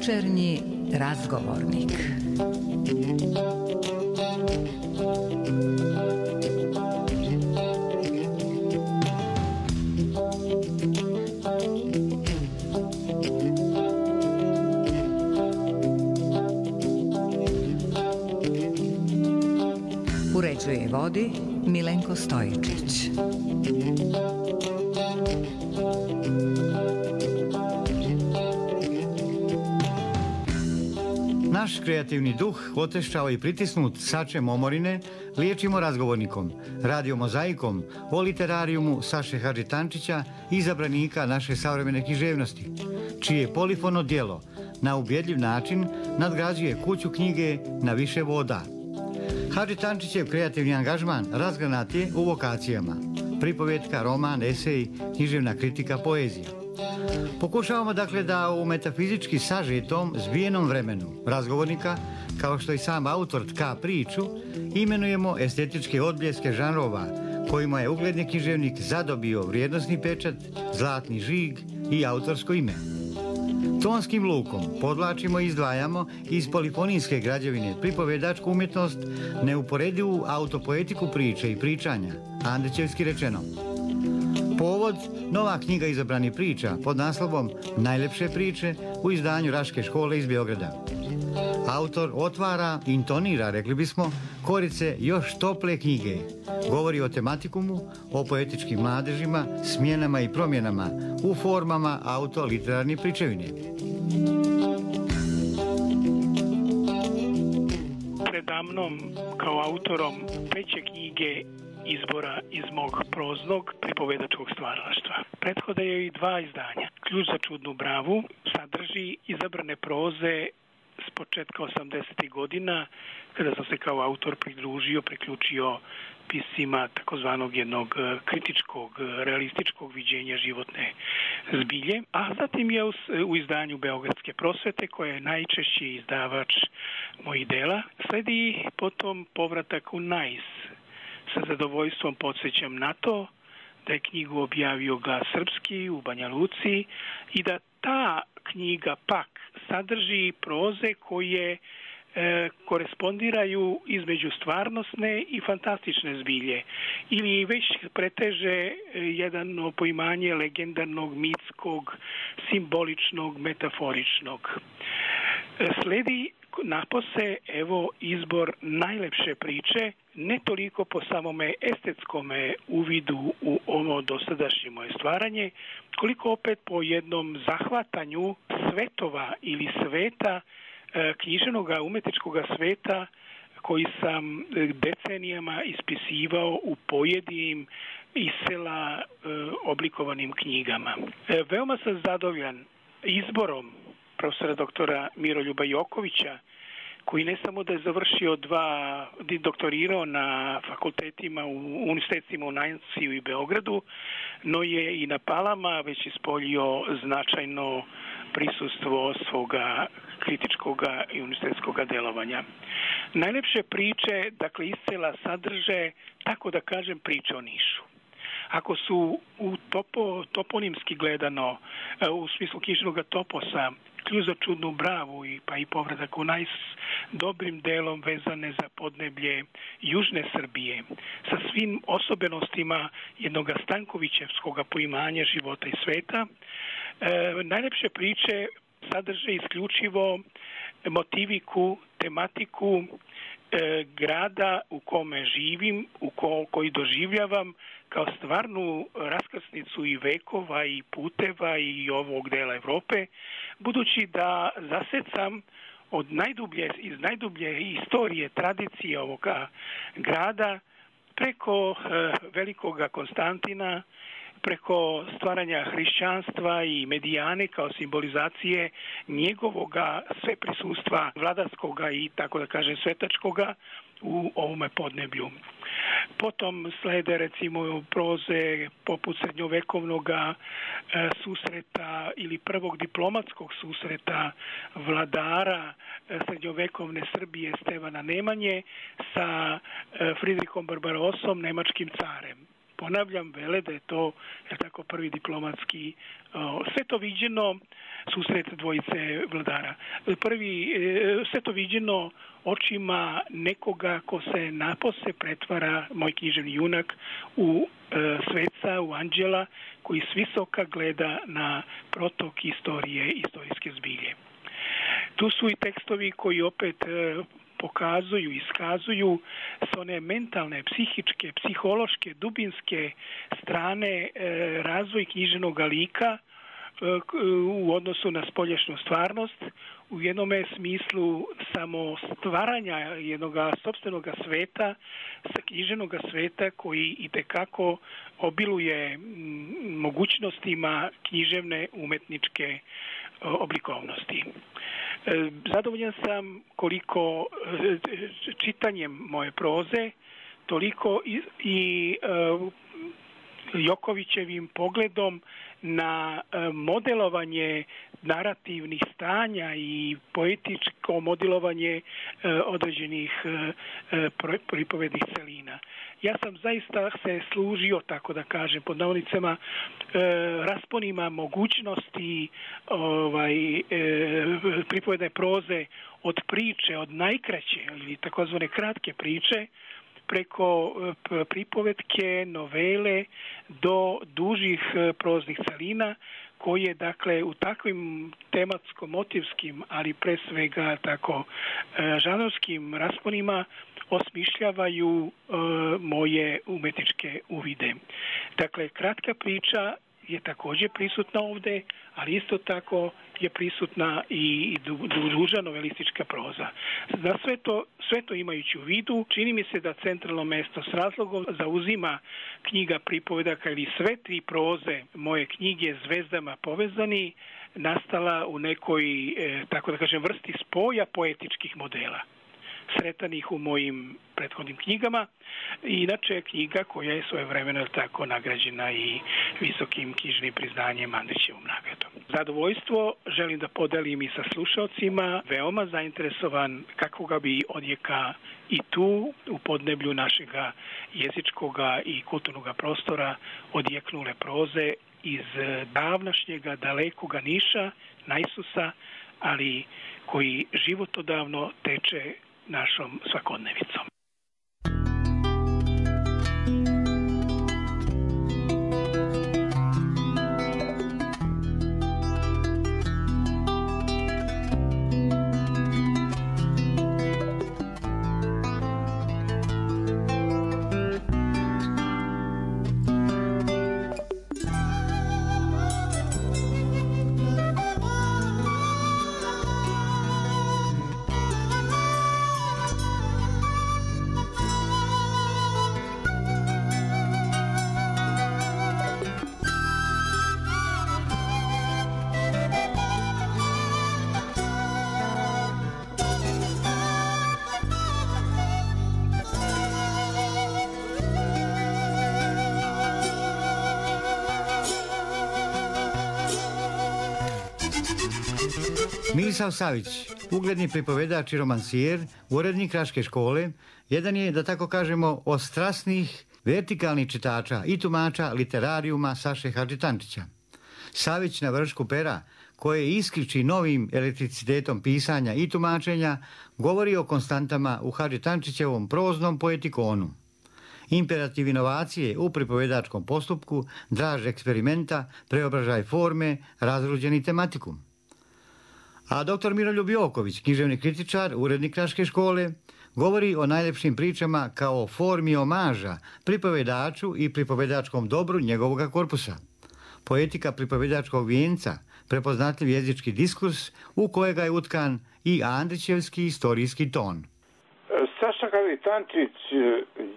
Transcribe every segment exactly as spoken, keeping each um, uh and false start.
Večernji razgovornik. Uređuje i vodi Milenko Stojičić. Naš kreativni duh, otešao i pritisnut sačem omorine, liječimo razgovornikom, radio mozaikom, o literarijumu Saše Hadžitančića, izabranika naše savremene književnosti, čije polifono djelo na ubjedljiv način nadgrađuje kuću knjige na više voda. Hadžitančićev kreativni angažman razgranat je u vokacijama: pripovetka, roman, esej, književna kritika, poezija. Pokušavamo dakle da u metafizički sažetom, zbijenom vremenu razgovornika, kao što i sam autor tka priču, imenujemo estetičke odbljeske žanrova kojima je ugledni književnik zadobio vrijednosni pečat, zlatni žig i autorsko ime. Tonskim lukom podvlačimo i izdvajamo iz polifonijske građevine pripovedačku umjetnost, neuporedivu autopoetiku priče i pričanja, andrićevski rečeno. Povod, nova knjiga izabranih priča pod naslovom Najlepše priče u izdanju Raške škole iz Beograda. Autor otvara, intonira, rekli bismo, korice još tople knjige. Govori o tematikumu, o poetičkim mladežima, smjenama i promjenama u formama autoliterarne pričevine. Predamnom kao autorom treće knjige izbora iz mog proznog pripovedačkog stvaralaštva. Prethode joj i dva izdanja. Ključ za čudnu bravu sadrži izabrane proze s početka osamdesetih godina, kada sam se kao autor pridružio, priključio piscima takozvanog jednog kritičkog, realističkog viđenja životne zbilje, a zatim je u izdanju Beogradske prosvete, koja je najčešći izdavač mojih dela, sledi potom povratak u Nais. Sa zadovoljstvom podsjećam na to da je knjigu objavio Glas srpski u Banja Luci i da ta knjiga pak sadrži proze koje e, korespondiraju između stvarnosne i fantastične zbilje ili već preteže jedno poimanje legendarnog, mitskog, simboličnog, metaforičnog. E, sledi napose evo izbor najlepše priče, ne toliko po samome estetskome uvidu u ovo dosadašnje moje stvaranje, koliko opet po jednom zahvatanju svetova ili sveta, književnog umetničkog sveta koji sam decenijama ispisivao u pojedinim iz sela oblikovanim knjigama. Veoma sam zadovoljan izborom profesora doktora Miroljuba Jokovića, koji ne samo da je završio dva, doktorirao na fakultetima, u univerzitetima u Najnsiju i Beogradu, no je i na Palama već ispoljio značajno prisustvo svoga kritičkog i univerzitetskog delovanja. Najlepše priče, dakle, iscela sadrže, tako da kažem, priče o Nišu. Ako su u topo, toponimski gledano, u smislu književnog toposa, Ključ za čudnu bravu i pa i povratak u Nais dobrim delom vezane za podneblje južne Srbije, sa svim osobenostima jednog Stankovićevskog poimanja života i sveta, e, najlepše priče sadrže isključivo motiviku, tematiku e, grada u kome živim, u ko, koji doživljavam kao stvarnu raskrsnicu i vekova i puteva i ovog dela Evrope, budući da zasecam od najdublje, iz najdublje istorije, tradicije ovoga grada, preko e, velikoga Konstantina, preko stvaranja hrišćanstva i medijane kao simbolizacije njegovoga sveprisustva vladarskoga i, tako da kažem, svetačkoga u ovome podneblju. Potom slede recimo proze poput srednjovekovnog e, susreta ili prvog diplomatskog susreta vladara e, srednjovekovne Srbije Stevana Nemanje sa e, Fridrihom Barbarosom, nemačkim carem. ponavljam, vele da je to je tako prvi diplomatski o, sve to viđeno susret dvojice vladara. Prvi, e, sve to viđeno očima nekoga ko se napose pretvara, moj književni junak, u e, sveca, u anđela, koji s visoka gleda na protok istorije, istorijske zbilje. Tu su i tekstovi koji opet e, pokazuju, iskazuju s one mentalne, psihičke, psihološke, dubinske strane e, razvoj književnog lika u odnosu na spoljašnju stvarnost, u jednome smislu samo stvaranja jednog sopstvenog sveta, sa književnog sveta koji itekako obiluje mogućnostima književne umetničke oblikovnosti. Zadovoljan sam koliko čitanjem moje proze, toliko i, i Jokovićevim pogledom na modelovanje narativnih stanja i poetičko modelovanje određenih pripovednih celina. Ja sam zaista se služio, tako da kažem, pod navodnicama, rasponima mogućnosti ovaj, pripovedne proze od priče, od najkraće ili takozvane kratke priče, preko pripovetke, novele do dužih proznih celina koje, dakle, u takvim tematsko-motivskim, ali pre svega tako žanrovskim rasponima osmišljavaju e, moje umetničke uvide. Dakle, kratka priča je također prisutna ovdje, ali isto tako je prisutna i duža novelistička proza. Za sve to, sve to imajući u vidu, čini mi se da centralno mesto s razlogom zauzima knjiga pripovedaka ili sve tri proze moje knjige Zvezdama povezani, nastala u nekoj, e, tako da kažem, vrsti spoja poetičkih modela sretanih u mojim prethodnim knjigama. Inače je knjiga koja je svojevremeno tako nagrađena i visokim knjižnim priznanjem Andrićevom nagradom. Zadovoljstvo želim da podelim i sa slušalcima, veoma zainteresovan kakvoga bi odjeka i tu u podneblju našega jezičkoga i kulturnog prostora odjeknule proze iz davnašnjega dalekoga Niša, Najsusa, ali koji životodavno teče našom svakodnevicom. Misav Savić, ugledni pripovedač i romansijer, urednik Kraške škole, jedan je, da tako kažemo, od strasnih vertikalnih čitača i tumača literarijuma Saše Hadžitančića. Savić na vršku pera, koje iskriči novim elektricitetom pisanja i tumačenja, govori o konstantama u Hadžitančićevom proznom poetikonu. Imperativ inovacije u pripovedačkom postupku, draž eksperimenta, preobražaj forme, razruđeni tematikum. A doktor Miroljub Joković, književni kritičar, urednik Kraške škole, govori o najlepšim pričama kao formi omaža pripovedaču i pripovedačkom dobru njegovog korpusa. Poetika pripovedačkog vijenca, prepoznatljiv jezički diskurs u kojega je utkan i Andrićevski istorijski ton. Saša Hadžitančić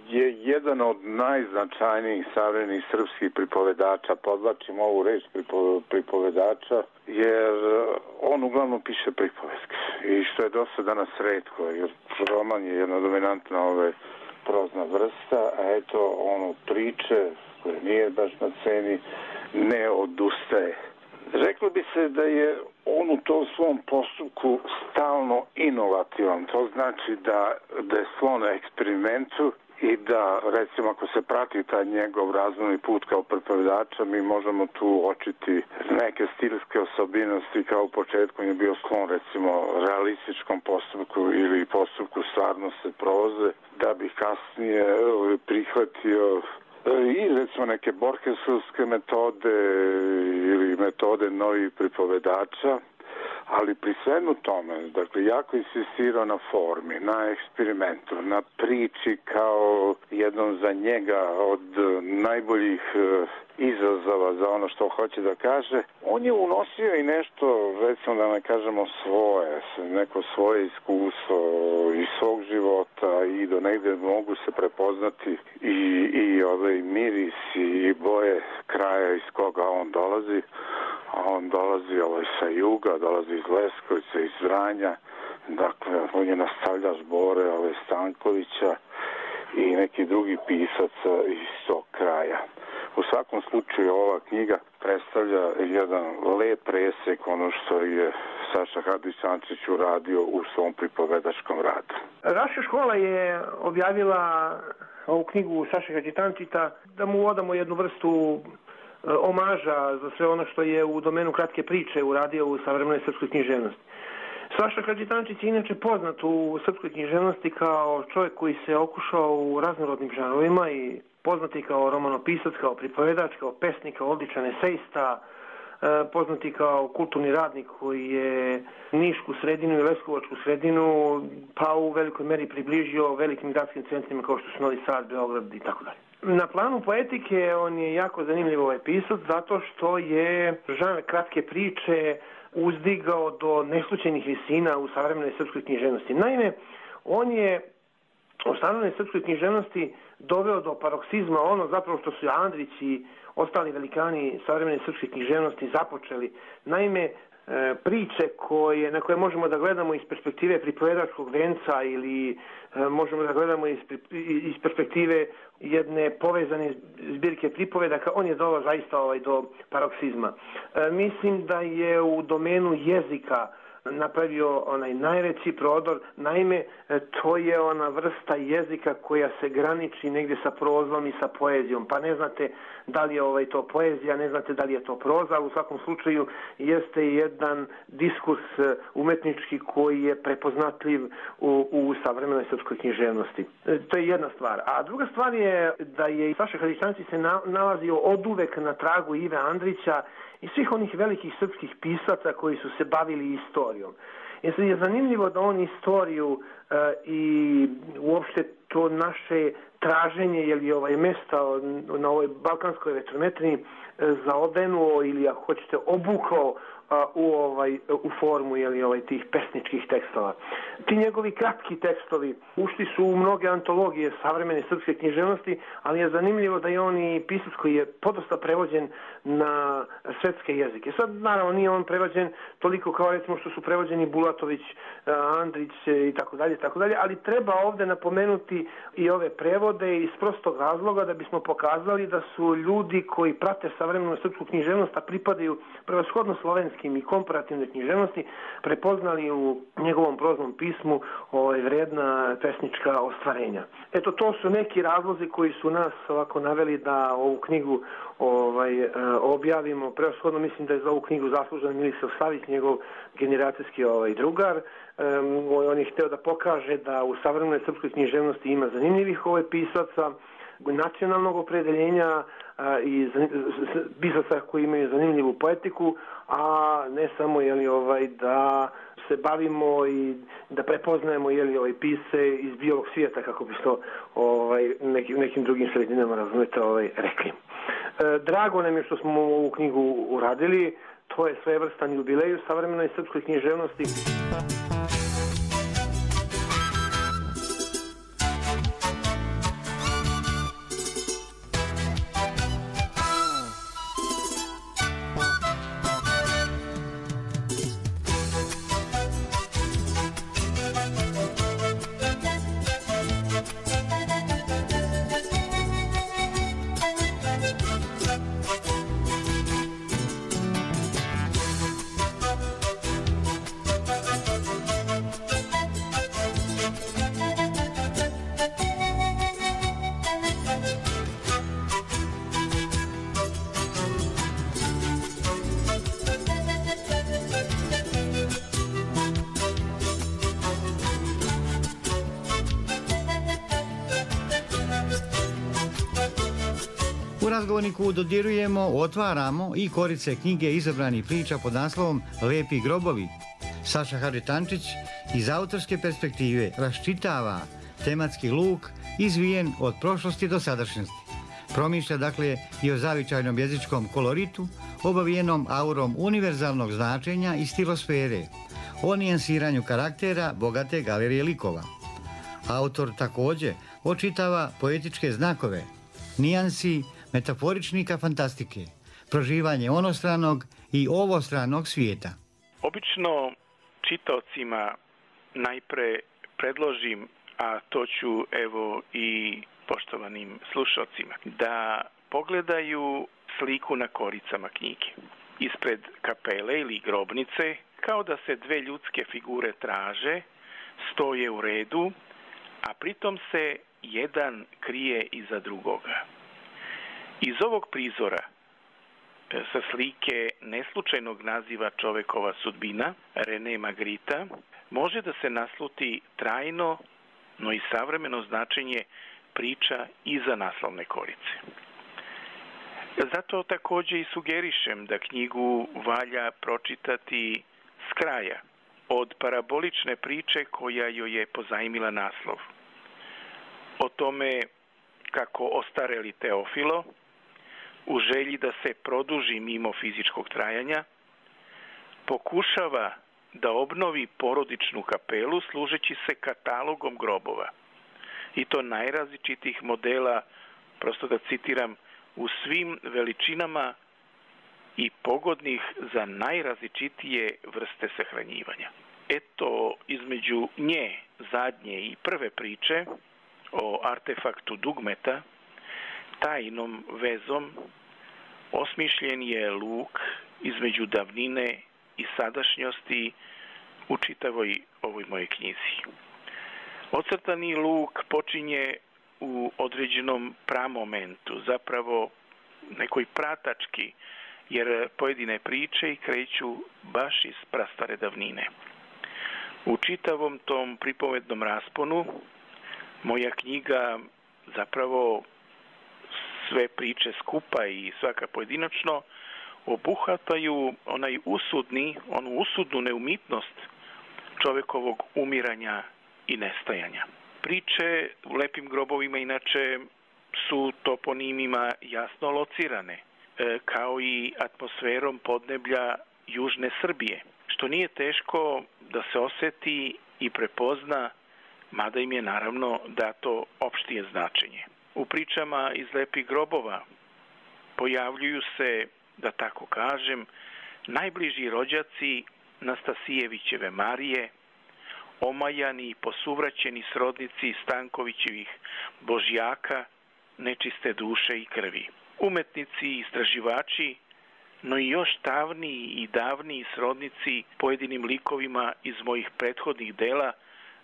je jedan od najznačajnijih savremenih srpskih pripovedača, podvlačim ovu reč pripovedača, jer on uglavnom piše pripovetke. I što je dosta danas retko, jer roman je jedna dominantna ove prozna vrsta, a eto on od priče, koje nije baš na sceni, ne odustaje. Reklo bi se da je on u tom svom postupku stalno inovativan. To znači da, da je sklon eksperimentu i da, recimo, ako se prati taj njegov razvojni put kao pripovedača, mi možemo tu uočiti neke stilske osobinosti, kao u početku je bio sklon, recimo, realističkom postupku ili postupku stvarnosti proze, da bi kasnije prihvatio i, recimo, neke borgesovske metode ili metode novih pripovedača, ali pri svemu tome, dakle, jako insistirao na formi, na eksperimentu, na priči kao jednom za njega od najboljih izazova za ono što hoće da kaže. On je unosio i nešto, recimo da ne kažemo svoje, neko svoje iskustvo iz svog života i do negde mogu se prepoznati i, i ove mirisi i boje kraja iz koga on dolazi. A on dolazi ovaj, sa juga, dolazi iz Leskovica, iz Vranja, dakle, on je nastavljač Bore ovaj, Stankovića i neki drugi pisaca iz tog kraja. U svakom slučaju ova knjiga predstavlja jedan lep presek ono što je Saša Hadžić-Ančić uradio u svom pripovedačkom radu. Raša škola je objavila ovu knjigu Saše Hadžić-Ančića da mu odamo jednu vrstu omaža za sve ono što je u domenu kratke priče uradio u savremenoj srpskoj književnosti. Saša Hadžić-Ančić je inače poznat u srpskoj književnosti kao čovjek koji se okušao u raznorodnim žanrovima i poznati kao romanopisac, kao pripovedač, kao pesnik, kao odličan esejista, poznati kao kulturni radnik koji je Nišku sredinu i Leskovačku sredinu pa u velikoj meri približio velikim gradskim centrima kao što su Novi Sad, Beograd i tako dalje. Na planu poetike on je jako zanimljiv ovaj pisac zato što je žanr kratke priče uzdigao do neslućenih visina u savremenoj srpskoj književnosti. Naime, on je u savremenoj srpskoj književnosti doveo do paroksizma ono zapravo što su Andrić i ostali velikani savremene srpske književnosti započeli. Naime, priče koje, na koje možemo da gledamo iz perspektive pripovedačkog venca ili možemo da gledamo iz, iz perspektive jedne povezane zbirke pripovedaka, on je doveo zaista ovaj, do paroksizma. E, mislim da je u domenu jezika napravio onaj najveći prodor. Naime, to je ona vrsta jezika koja se graniči negdje sa prozom i sa poezijom. Pa ne znate da li je ovaj to poezija, ne znate da li je to proza, ali u svakom slučaju jeste jedan diskurs umetnički koji je prepoznatljiv u, u savremenoj srpskoj književnosti. To je jedna stvar. A druga stvar je da je Saša Hadžić-Ančić se na, nalazio oduvek na tragu Ive Andrića i svih onih velikih srpskih pisaca koji su se bavili istorijom. I sad je zanimljivo da on istoriju e, i uopšte to naše traženje ili ovaj mesta na ovoj balkanskoj vetrometrini e, zaodenuo ili ako hoćete obukao a, u ovaj u formu ili ovaj tih pesničkih tekstova. Ti njegovi kratki tekstovi ušli su u mnoge antologije savremene srpske književnosti, ali je zanimljivo da je on i pisac koji je podosta prevođen na svetske jezike. Sad naravno nije on prevođen toliko kao recimo što su prevođeni Bulatović, Andrić i tako dalje, tako dalje, ali treba ovdje napomenuti i ove prevode iz prostog razloga da bismo pokazali da su ljudi koji prate savremenu srpsku književnost, a pripadaju prevashodno slovenskim i komparativnoj književnosti, prepoznali u njegovom proznom pismu ovaj, vredna pesnička ostvarenja. Eto, to su neki razlozi koji su nas ovako naveli da ovu knjigu ovaj, objavimo. Prevashodno mislim da je za ovu knjigu zaslužen Milisav Savić, njegov generacijski ovaj, drugar. Um, on je hteo da pokaže da u savremenoj srpskoj književnosti ima zanimljivih ovaj, pisaca, nacionalnog opredeljenja a, i pisaca koji imaju zanimljivu poetiku, a ne samo jeli, ovaj, da se bavimo i da prepoznajemo jeli, ovaj, pisce iz bijelog svijeta, kako bi to ovaj, nekim, nekim drugim sredinama razumete ovaj, rekli. E, drago nam je što smo ovu knjigu uradili, to je svojevrstan jubilej u savremenoj srpskoj književnosti. U razgovorniku dodirujemo, otvaramo i korice knjige izabranih priča pod naslovom Lepi grobovi. Saša Hadžitančić iz autorske perspektive raščitava tematski luk izvijen od prošlosti do sadašnjosti. Promišlja dakle i o zavičajnom jezičkom koloritu, obavijenom aurom univerzalnog značenja i stilosfere, o nijansiranju karaktera bogate galerije likova. Autor također očitava poetičke znakove, nijansi metaforičnika fantastike, proživanje onostranog i ovostranog svijeta. Obično čitaocima najpre predložim, a to ću evo i poštovanim slušalcima, da pogledaju sliku na koricama knjige. Ispred kapele ili grobnice, kao da se dve ljudske figure traže, stoje u redu, a pritom se jedan krije iza drugoga. Iz ovog prizora, sa slike neslučajnog naziva Čovekova sudbina, René Magritta, može da se nasluti trajno, no i savremeno značenje priča iza naslovne korice. Zato također i sugerišem da knjigu valja pročitati s kraja, od parabolične priče koja joj je pozajmila naslov. O tome kako ostareli Teofilo, u želji da se produži mimo fizičkog trajanja, pokušava da obnovi porodičnu kapelu služeći se katalogom grobova. I to najrazličitih modela, prosto da citiram, u svim veličinama i pogodnih za najrazličitije vrste sahranjivanja. Eto, između nje, zadnje i prve priče o artefaktu dugmeta, tajnom vezom osmišljen je luk između davnine i sadašnjosti u čitavoj ovoj mojoj knjizi. Ocrtani luk počinje u određenom pramomentu, zapravo nekoj pratački, jer pojedine priče kreću baš iz prastare davnine. U čitavom tom pripovednom rasponu moja knjiga zapravo sve priče skupa i svaka pojedinačno obuhvataju onaj usudni, onu usudnu neumitnost čovekovog umiranja i nestajanja. Priče u Lepim grobovima inače su toponimima jasno locirane, kao i atmosferom podneblja južne Srbije, što nije teško da se osjeti i prepozna, mada im je naravno dato opštije značenje. U pričama iz Lepih grobova pojavljuju se, da tako kažem, najbliži rođaci Nastasijevićeve Marije, omajani i posuvraćeni srodnici Stankovićevih Božjaka, nečiste duše i krvi. Umetnici i istraživači, no i još davniji i davniji srodnici pojedinim likovima iz mojih prethodnih dela,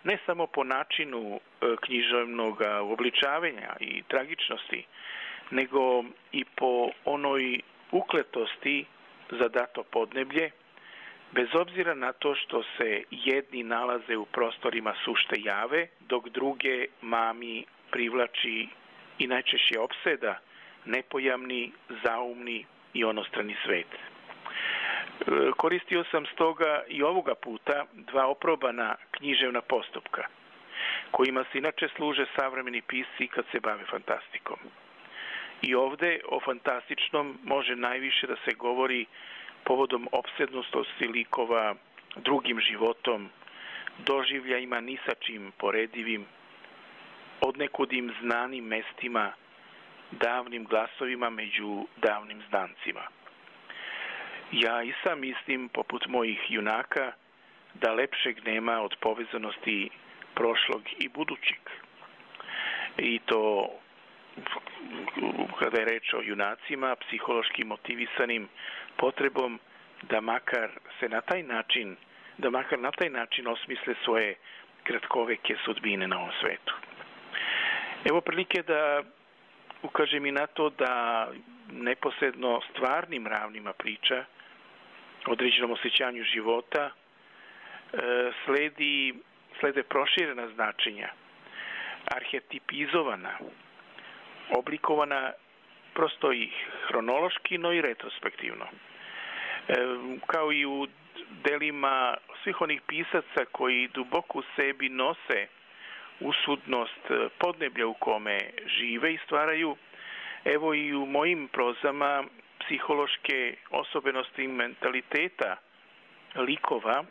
ne samo po načinu književnog obličavanja i tragičnosti, nego i po onoj ukletosti za dato podneblje, bez obzira na to što se jedni nalaze u prostorima sušte jave, dok druge mami privlači i najčešće opseda nepojamni, zaumni i onostrani svet. Koristio sam stoga i ovoga puta dva oprobana književna postupka, kojima se inače služe savremeni pisci kad se bave fantastikom. I ovde o fantastičnom može najviše da se govori povodom opsednutosti likova drugim životom, doživljajima ni sa čim poredivim, odnekudim znanim mestima, davnim glasovima među davnim znancima. Ja i sam mislim, poput mojih junaka, da lepšeg nema od povezanosti prošlog i budućeg. I to kada je reč o junacima, psihološki motivisanim potrebom da makar se na taj način, da makar na taj način osmisle svoje kratkoveke sudbine na ovom svetu. Evo prilike da ukažem i na to da neposredno stvarnim ravnima priča, određenom osjećanju života, sledi, slede proširena značenja, arhetipizovana, oblikovana prosto i hronološki, no i retrospektivno. E, kao i u delima svih onih pisaca koji duboko u sebi nose usudnost podneblja u kome žive i stvaraju, evo i u mojim prozama psihološke osobenosti mentaliteta likova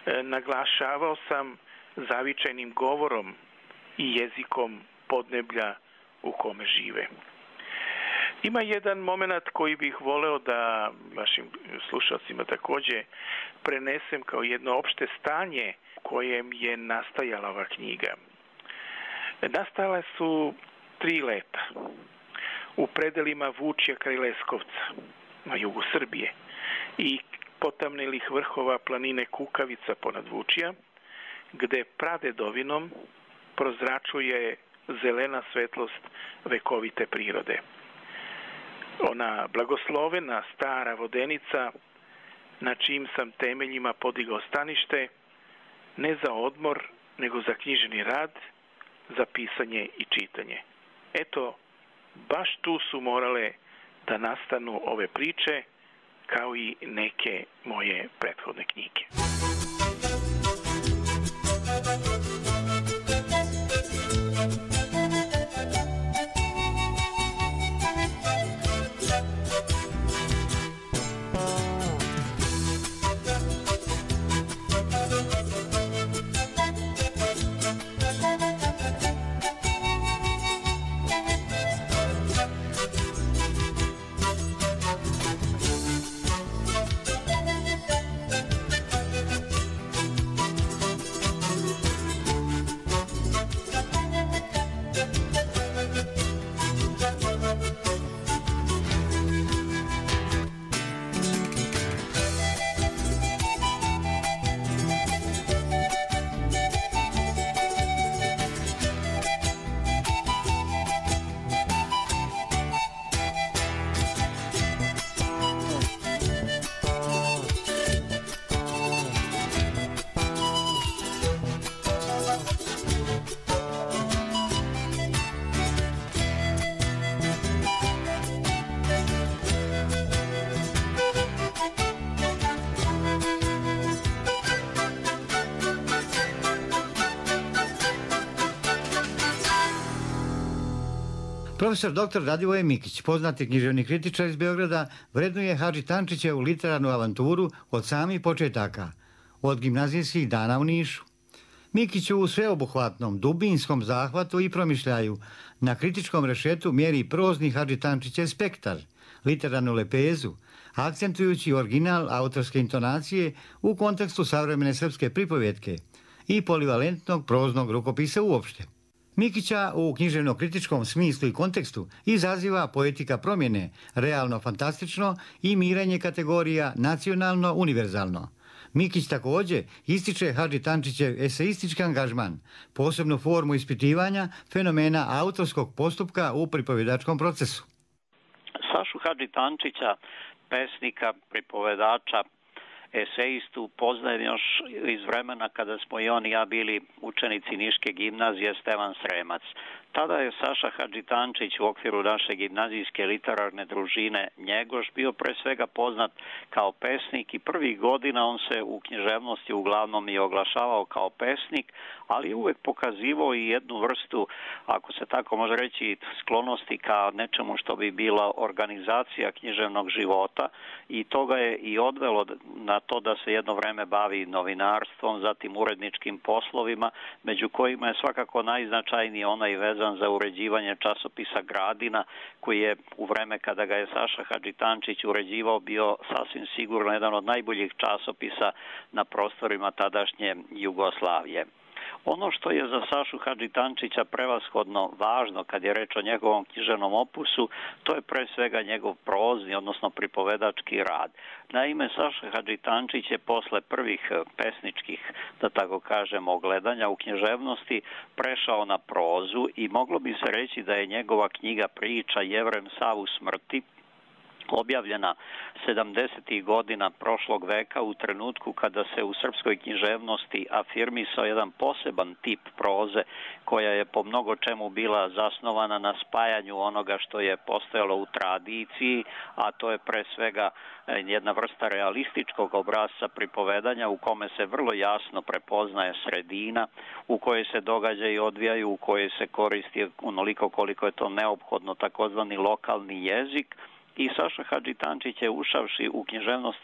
e, naglašavao sam zavičajnim govorom i jezikom podneblja u kome žive. Ima jedan moment koji bih voleo da vašim slušalcima takođe prenesem kao jedno opšte stanje kojem je nastajala ova knjiga. Nastale su tri leta u predelima Vučja kraj Leskovca na jugu Srbije i potamnelih vrhova planine Kukavica ponad Vučja, gde pradedovinom prozračuje zelena svetlost vekovite prirode. Ona blagoslovena stara vodenica na čijim sam temeljima podigao stanište, ne za odmor, nego za književni rad, za pisanje i čitanje. Eto, baš tu su morale da nastanu ove priče, kao i neke moje prethodne knjige. Profesor doktor Radivoje Mikić, poznati književni kritičar iz Beograda, vrednuje Hadži Tančićevu literarnu avanturu od samih početaka, od gimnazijskih dana u Nišu. Mikić u sveobuhvatnom, dubinskom zahvatu i promišljaju na kritičkom rešetu mjeri prozni Hadži Tančićev spektar, literarnu lepezu, akcentujući original autorske intonacije u kontekstu savremene srpske pripovjetke i polivalentnog proznog rukopisa uopšte. Mikića u književno-kritičkom smislu i kontekstu izaziva poetika promjene, realno-fantastično i mirenje kategorija nacionalno-univerzalno. Mikić također ističe Hadži Tančićev eseistički angažman, posebnu formu ispitivanja fenomena autorskog postupka u pripovjedačkom procesu. Sašu Hadži Tančića, pesnika, pripovedača, eseistu poznajem još iz vremena kada smo i on i ja bili učenici Niške gimnazije Stevan Sremac. Tada je Saša Hadži Tančić u okviru naše gimnazijske literarne družine Njegoš bio pre svega poznat kao pesnik i prvih godina on se u književnosti uglavnom i oglašavao kao pesnik, ali uvek pokazivao i jednu vrstu, ako se tako može reći, sklonosti ka nečemu što bi bila organizacija književnog života i to ga je i odvelo na to da se jedno vreme bavi novinarstvom, zatim uredničkim poslovima, među kojima je svakako najznačajniji onaj vezan za uređivanje časopisa Gradina, koji je u vreme kada ga je Saša Hadži Tančić uređivao bio sasvim sigurno jedan od najboljih časopisa na prostorima tadašnje Jugoslavije. Ono što je za Sašu Hadži Tančića prevashodno važno kad je reč o njegovom književnom opusu, to je pre svega njegov prozni, odnosno pripovedački rad. Naime, Saša Hadži Tančić je posle prvih pesničkih, da tako kažemo, gledanja u književnosti prešao na prozu i moglo bi se reći da je njegova knjiga Priča Jevrem Savu smrti objavljena sedamdesetih godina prošlog veka u trenutku kada se u srpskoj književnosti afirmisao jedan poseban tip proze koja je po mnogo čemu bila zasnovana na spajanju onoga što je postojalo u tradiciji, a to je pre svega jedna vrsta realističkog obrasca pripovedanja u kome se vrlo jasno prepoznaje sredina u kojoj se događaji odvijaju, u kojoj se koristi onoliko koliko je to neophodno takozvani lokalni jezik. I Saša Hadžitančić je, ušavši u književnost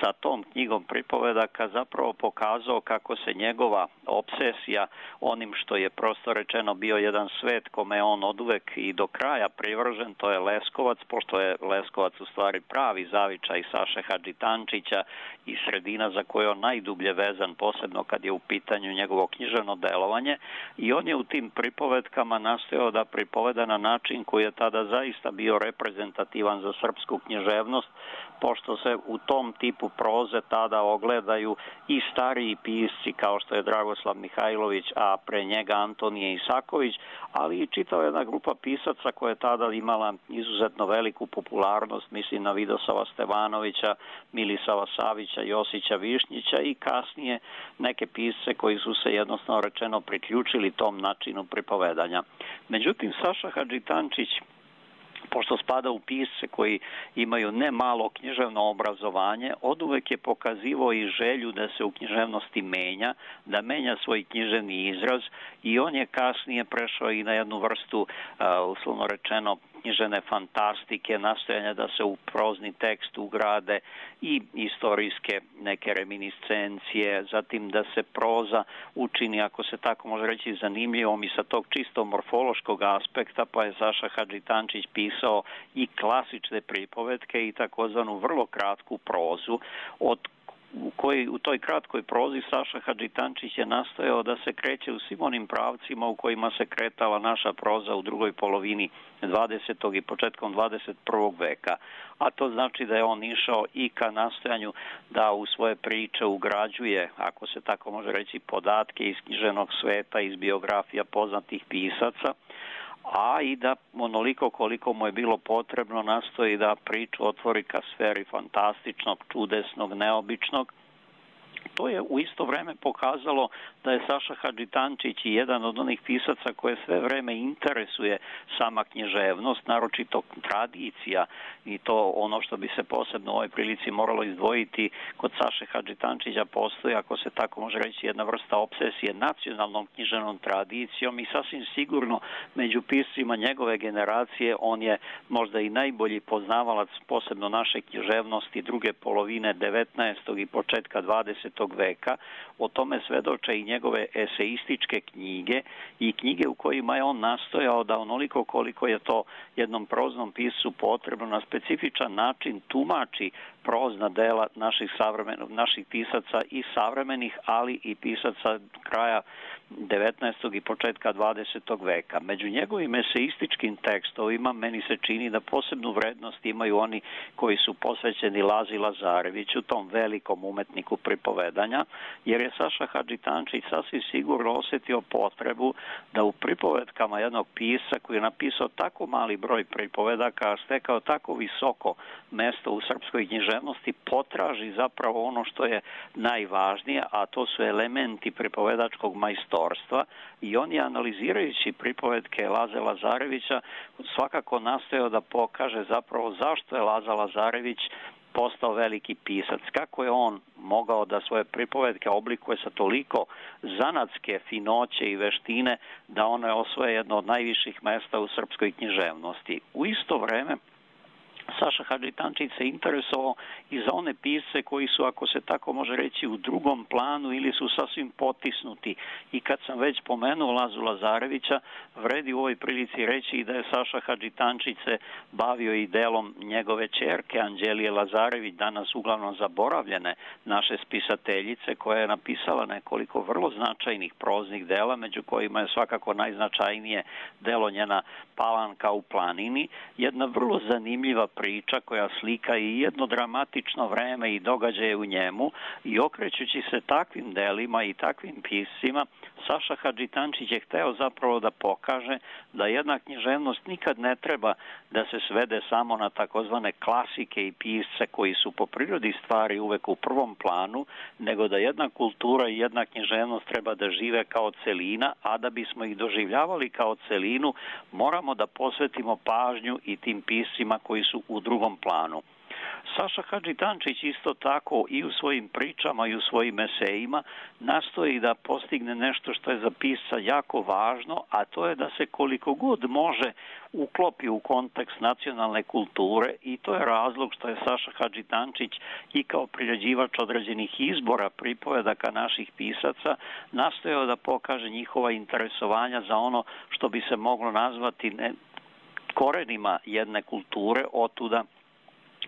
sa tom knjigom pripovedaka, zapravo pokazao kako se njegova obsesija onim što je prosto rečeno bio jedan svet kome je on oduvek i do kraja privržen, to je Leskovac, pošto je Leskovac u stvari pravi zavičaj Saše Hadžitančića i sredina za koju je on najdublje vezan, posebno kad je u pitanju njegovo književno delovanje, i on je u tim pripovedkama nastojao da pripoveda na način koji je tada zaista bio reprezentativan za srpsku književnost, pošto se u tom tipu proze tada ogledaju i stariji pisci kao što je Dragoslav Mihajlović, a pre njega Antonije Isaković, ali i čitava jedna grupa pisaca koja je tada imala izuzetno veliku popularnost, mislim na Vidosava Stevanovića, Milisava Savića, Josića Višnjića i kasnije neke pisce koji su se jednostavno rečeno priključili tom načinu pripovedanja. Međutim, Saša Hadžitančić, pošto spada u pisce koji imaju ne malo književno obrazovanje, oduvek je pokazivao i želju da se u književnosti menja, da menja svoj književni izraz, i on je kasnije prešao i na jednu vrstu, uslovno rečeno, književne fantastike, nastojanja da se u prozni tekst ugrade i istorijske neke reminiscencije, zatim da se proza učini, ako se tako može reći, zanimljivom i sa tog čisto morfološkog aspekta, pa je Saša Hadžitančić pisao i klasične pripovetke i takozvanu vrlo kratku prozu, od U, koji, u toj kratkoj prozi Saša Hadžitančić je nastojao da se kreće u svim onim pravcima u kojima se kretala naša proza u drugoj polovini dvadesetog i početkom dvadeset prvog veka. A to znači da je on išao i ka nastojanju da u svoje priče ugrađuje, ako se tako može reći, podatke iz književnog sveta, iz biografija poznatih pisaca, a i da onoliko koliko mu je bilo potrebno nastoji da priču otvori ka sferi fantastičnog, čudesnog, neobičnog. To je u isto vreme pokazalo da je Saša Hadžitančić jedan od onih pisaca koje sve vreme interesuje sama književnost, naročito tradicija, i to ono što bi se posebno u ovoj prilici moralo izdvojiti. Kod Saše Hadžitančića postoji, ako se tako može reći, jedna vrsta obsesije nacionalnom književnom tradicijom, i sasvim sigurno među piscima njegove generacije on je možda i najbolji poznavalac posebno naše književnosti druge polovine devetnaestog i početka dvadesetog veka. O tome svedoče i njegove eseističke knjige i knjige u kojima je on nastojao da onoliko koliko je to jednom proznom piscu potrebno na specifičan način tumači prozna dela naših savremenih, naših pisaca i savremenih, ali i pisaca kraja devetnaestog i početka dvadesetog veka. Među njegovim eseističkim tekstovima meni se čini da posebnu vrednost imaju oni koji su posvećeni Lazi Lazareviću, tom velikom umetniku pripovedanja, jer je Saša Hadžitančić sasvim sigurno osjetio potrebu da u pripovedkama jednog pisca koji je napisao tako mali broj pripovedaka, a stekao tako visoko mesto u srpskoj književnosti, potraži zapravo ono što je najvažnije, a to su elementi pripovedačkog majstorstva, i on je, analizirajući pripovedke Laze Lazarevića, svakako nastojao da pokaže zapravo zašto je Laza Lazarević postao veliki pisac, kako je on mogao da svoje pripovetke oblikuje sa toliko zanatske finoće i veštine da one osvoje jedno od najviših mesta u srpskoj književnosti. U isto vreme Saša Hadžitančić se interesovao i za one pisce koji su, ako se tako može reći, u drugom planu ili su sasvim potisnuti. I kad sam već pomenuo Lazu Lazarevića, vredi u ovoj prilici reći i da je Saša Hadžitančić se bavio i delom njegove ćerke Anđelije Lazarević, danas uglavnom zaboravljene naše spisateljice, koja je napisala nekoliko vrlo značajnih proznih dela, među kojima je svakako najznačajnije delo njena Palanka u planini, jedna vrlo zanimljiva priča koja slika i jedno dramatično vreme i događaje u njemu, i okrećući se takvim delima i takvim piscima, Saša Hadžitančić je hteo zapravo da pokaže da jedna književnost nikad ne treba da se svede samo na takozvane klasike i pisce koji su po prirodi stvari uvek u prvom planu, nego da jedna kultura i jedna književnost treba da žive kao celina, a da bismo ih doživljavali kao celinu, moramo da posvetimo pažnju i tim piscima koji su u drugom planu. Saša Hadžitančić isto tako i u svojim pričama i u svojim esejima nastoji da postigne nešto što je za pisca jako važno, a to je da se koliko god može uklopi u kontekst nacionalne kulture i to je razlog što je Saša Hadžitančić i kao priređivač određenih izbora pripovedaka naših pisaca nastojao da pokaže njihova interesovanja za ono što bi se moglo nazvati ne, korenima jedne kulture, otuda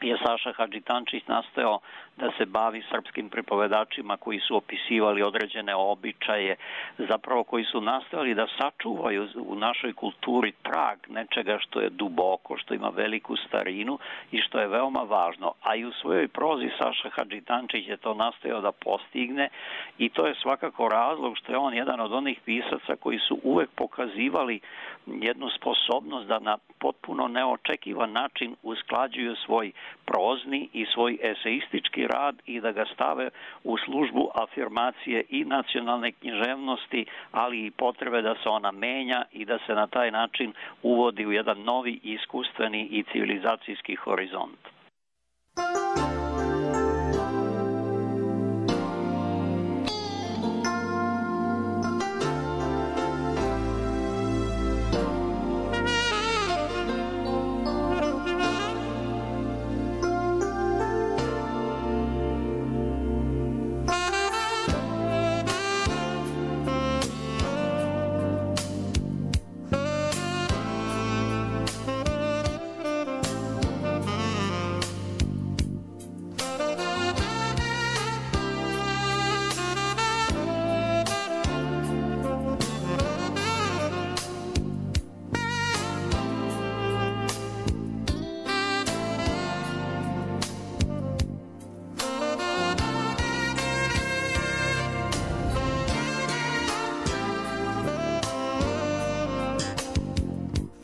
je Saša Hadžitančić nastojao da se bavi srpskim pripovedačima koji su opisivali određene običaje, zapravo koji su nastojali da sačuvaju u našoj kulturi trag nečega što je duboko, što ima veliku starinu i što je veoma važno. A i u svojoj prozi Saša Hadžitančić je to nastojao da postigne i to je svakako razlog što je on jedan od onih pisaca koji su uvek pokazivali jednu sposobnost da na potpuno neočekivan način usklađuju svoj prozni i svoj eseistički rad i da ga stave u službu afirmacije i nacionalne književnosti, ali i potrebe da se ona menja i da se na taj način uvodi u jedan novi iskustveni i civilizacijski horizont.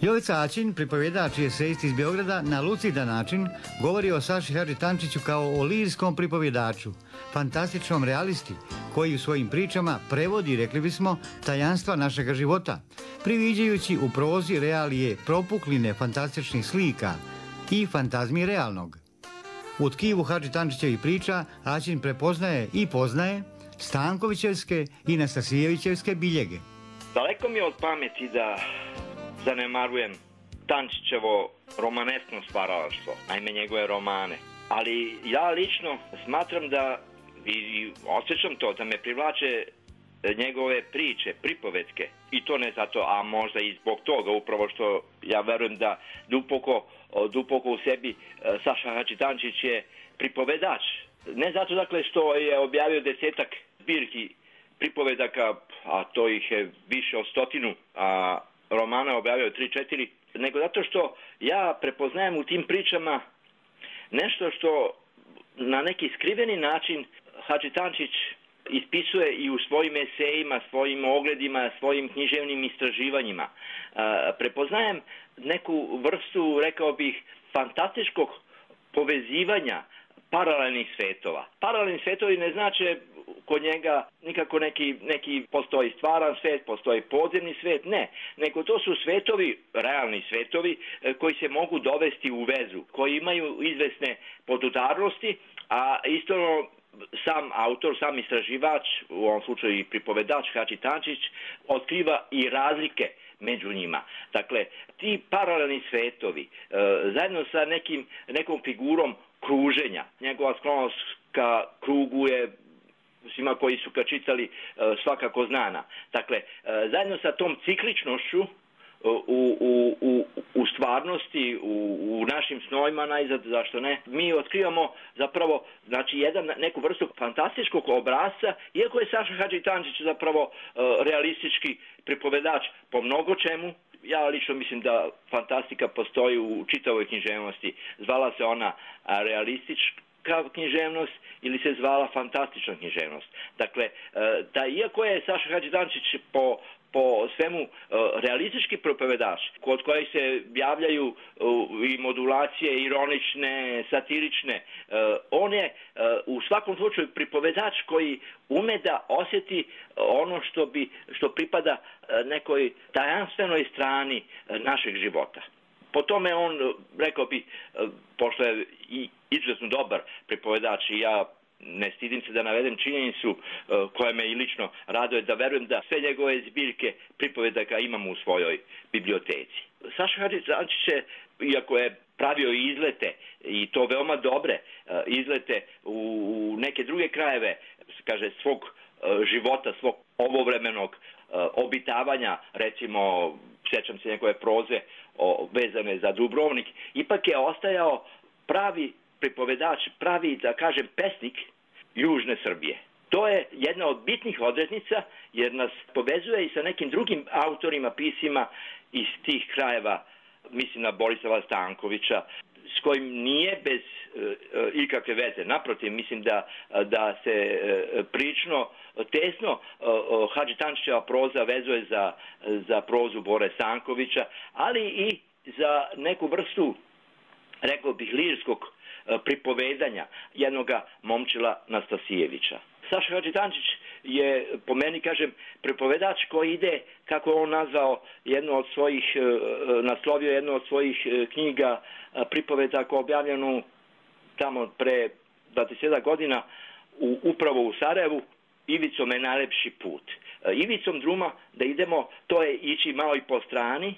Jovica Aćin, pripovjedač i esejist iz Beograda, na lucidan način govori o Saši Hadžitančiću kao o lirskom pripovjedaču, fantastičnom realisti, koji u svojim pričama prevodi, rekli bismo, tajanstva našega života, priviđajući u prozi realije propukline fantastičnih slika i fantazmi realnog. U tkivu Hadžitančićevih priča Aćin prepoznaje i poznaje Stankovićevske i Nastasijevićevske biljege. Daleko mi je od pameti da zanemarujem Tančićevo romaneskno stvaralaštvo, naime njegove romane. Ali ja lično smatram da, i osjećam to, da me privlače njegove priče, pripovetke. I to ne zato, a možda i zbog toga, upravo što ja verujem da duboko, duboko u sebi Saša Hadžitančić je pripovedač. Ne zato dakle što je objavio desetak zbirki pripovedaka, a to ih je više od stotinu, a romana objavio tri četiri, nego zato što ja prepoznajem u tim pričama nešto što na neki skriveni način Hadžitančić ispisuje i u svojim esejima, svojim ogledima, svojim književnim istraživanjima. Prepoznajem neku vrstu, rekao bih, fantastičkog povezivanja paralelnih svetova. Paralelni svetovi ne znače kod njega nikako neki, neki postoji stvaran svet, postoji podzemni svet, ne. Nego to su svetovi, realni svetovi, koji se mogu dovesti u vezu, koji imaju izvesne podudarnosti, a isto sam autor, sam istraživač, u ovom slučaju i pripovedač Hadžitančić, otkriva i razlike među njima. Dakle, ti paralelni svetovi, zajedno sa nekim, nekom figurom kruženja, njegova sklonost ka krugu je svima koji su ga čitali svakako znana. Dakle, zajedno sa tom cikličnošću u, u, u, u stvarnosti, u, u našim snovima, najzad, zašto ne, mi otkrivamo zapravo znači, jedan, neku vrstu fantastičkog obrazca, iako je Saša Hadžitančić zapravo realistički pripovedač po mnogo čemu. Ja lično mislim da fantastika postoji u čitavoj književnosti. Zvala se ona realistička kao književnost ili se zvala fantastična književnost. Dakle, da iako je Saša Hadžidančić po po svemu realistički propovedač, kod kojih se javljaju i modulacije ironične, satirične, on je u svakom slučaju pripovedač koji ume da osjeti ono što bi što pripada nekoj tajanstvenoj strani našeg života. Po tome on, rekao bi, pošto je i izuzetno dobar pripovedač i ja ne stidim se da navedem činjenicu uh, koja me i lično raduje, da verujem da sve njegove zbirke pripovedaka imamo u svojoj biblioteci. Saša Hadžidančić je, iako je pravio izlete, i to veoma dobre uh, izlete u, u neke druge krajeve, kaže, svog uh, života, svog ovovremenog uh, obitavanja, recimo, sjećam se njegove proze o, vezane za Dubrovnik, ipak je ostajao pravi pripovedač, pravi, da kažem, pesnik Južne Srbije. To je jedna od bitnih odrednica, jer nas povezuje i sa nekim drugim autorima, pisima iz tih krajeva, mislim na Borislava Stankovića, s kojim nije bez e, ikakve veze. Naprotiv, mislim da, da se e, prično, tesno e, Hadžitančićeva proza vezuje za, za prozu Bore Stankovića, ali i za neku vrstu, rekao bih, lirskog pripovedanja jednoga Momčila Nastasijevića. Saša Hadžidančić je, po meni, kažem, pripovedač koji ide, kako je on nazvao jednu od svojih, naslovio jednu od svojih knjiga pripovedaka objavljenu tamo pre dvadeset godina u, upravo u Sarajevu, Ivicom je najlepši put. Ivicom druma da idemo, to je ići malo i po strani,